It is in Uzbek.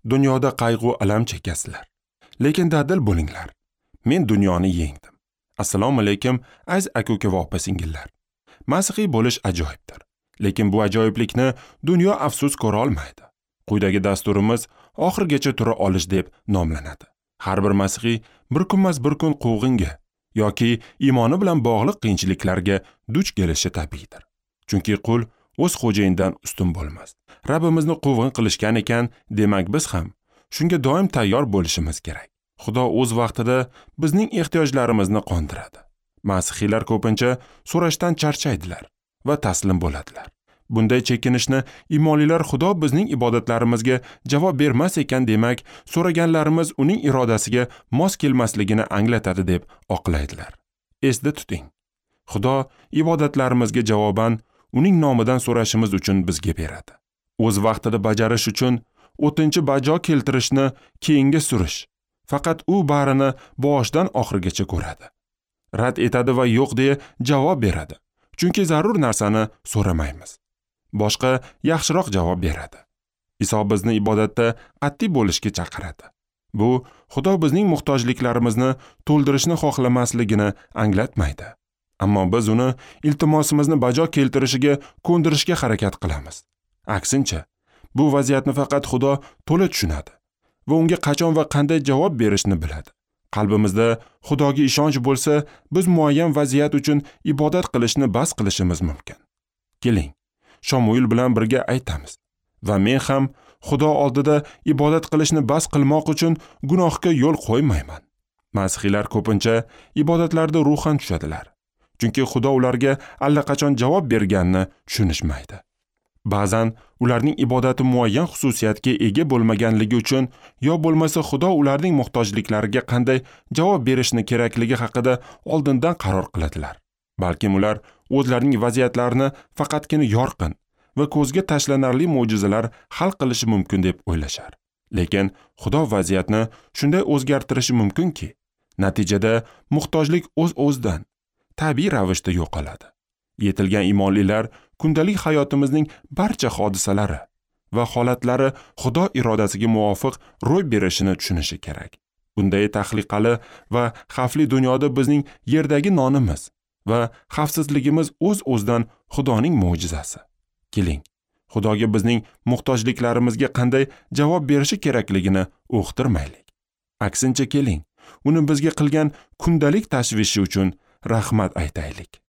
Dunyoda qayg'u alam chekasizlar. Lekin dadil bo'linglar. Men dunyoni yengdim. Assalomu alaykum, aziz aka-uka va opa-singillar. Masihiy bo'lish ajoyibdir. Lekin bu ajoyiblikni dunyo afsus ko'ra olmaydi. Quyidagi dasturimiz oxirigacha tura olish deb nomlanadi. Har bir masihiy bir kunmas bir kun quvg'inga yoki iymoni bilan bog'liq qiyinchiliklarga duch kelishi tabiiydir. Chunki qul o'z xo'jayinidan ustun bo'lmas. Rabbimizni quvg'in qilishgan ekan, demak biz ham shunga doim tayyor bo'lishimiz kerak. Xudo o'z vaqtida bizning ehtiyojlarimizni qondiradi. Masihiylar ko'pincha so'rashdan charchaydilar va taslim bo'ladilar. Bunday chekinishni iymonlilar Xudo bizning ibodatlarimizga javob bermas ekan, demak, so'raganlarimiz uning irodasiga mos kelmasligini anglatadi deb oqlaydilar. Esda tuting. Xudo ibodatlarimizga javoban uning nomidan so'rashimiz uchun bizga beradi. O'z vaqtida bajarish uchun o'tinchi bajo keltirishni keyinga surish. Faqat u barini boshidan oxirigacha ko'radi. Rad etadi va yo'q deya javob beradi. Chunki zarur narsani so'ramaymiz. Boshqa yaxshiroq javob beradi. Iso bizni ibodatda qat'iy bo'lishga chaqiradi. Bu Xudo bizning muhtojliklarimizni to'ldirishni xohlamasligini anglatmaydi. Ammo biz uni iltimosimizni bajo keltirishiga ko'ndirishga harakat qilamiz. Aksincha, bu vaziyatni faqat Xudo to'la tushunadi va unga qachon va qanday javob berishni biladi. Qalbimizda Xudoga ishonch bo'lsa, biz muayyan vaziyat uchun ibodat qilishni bas qilishimiz mumkin. Keling, Shomuil bilan birga aytamiz. Va men ham Xudo oldida ibodat qilishni bas qilmoq uchun gunohga yo'l qo'ymayman. Masihiylar ko'pincha ibodatlarda ruhan tushadilar. Chunki Xudo ularga allaqachon javob berganini tushunishmaydi. Ba'zan ularning ibodati muayyan xususiyatga ega bo'lmaganligi uchun yo bo'lmasa Xudo ularning muhtojliklariga qanday javob berishni kerakligi haqida oldindan qaror qiladilar. Balkim ular o'zlarining vaziyatlarini faqatgina yorqin va ko'zga tashlanarli mo'jizalar hal qilishi mumkin deb o'ylashar. Lekin Xudo vaziyatni shunday o'zgartirishi mumkinki, natijada muhtojlik o'z-o'zidan tabiiy ravishda yo'qoladi. Yetilgan iymonlilar kundalik hayotimizning barcha hodisalari va holatlari Xudo irodasiga muvofiq ro'y berishini tushunishi kerak. Bunday tahliqali va xavfli dunyoda bizning yerdagi nonimiz va xavfsizligimiz o'z-o'zidan Xudoning mo'jizasi. Keling, Xudoga bizning muhtojliklarimizga qanday javob berishi kerakligini uqtirmaylik. Aksincha keling, uni bizga qilgan kundalik tashvishi uchun rahmat aytaylik.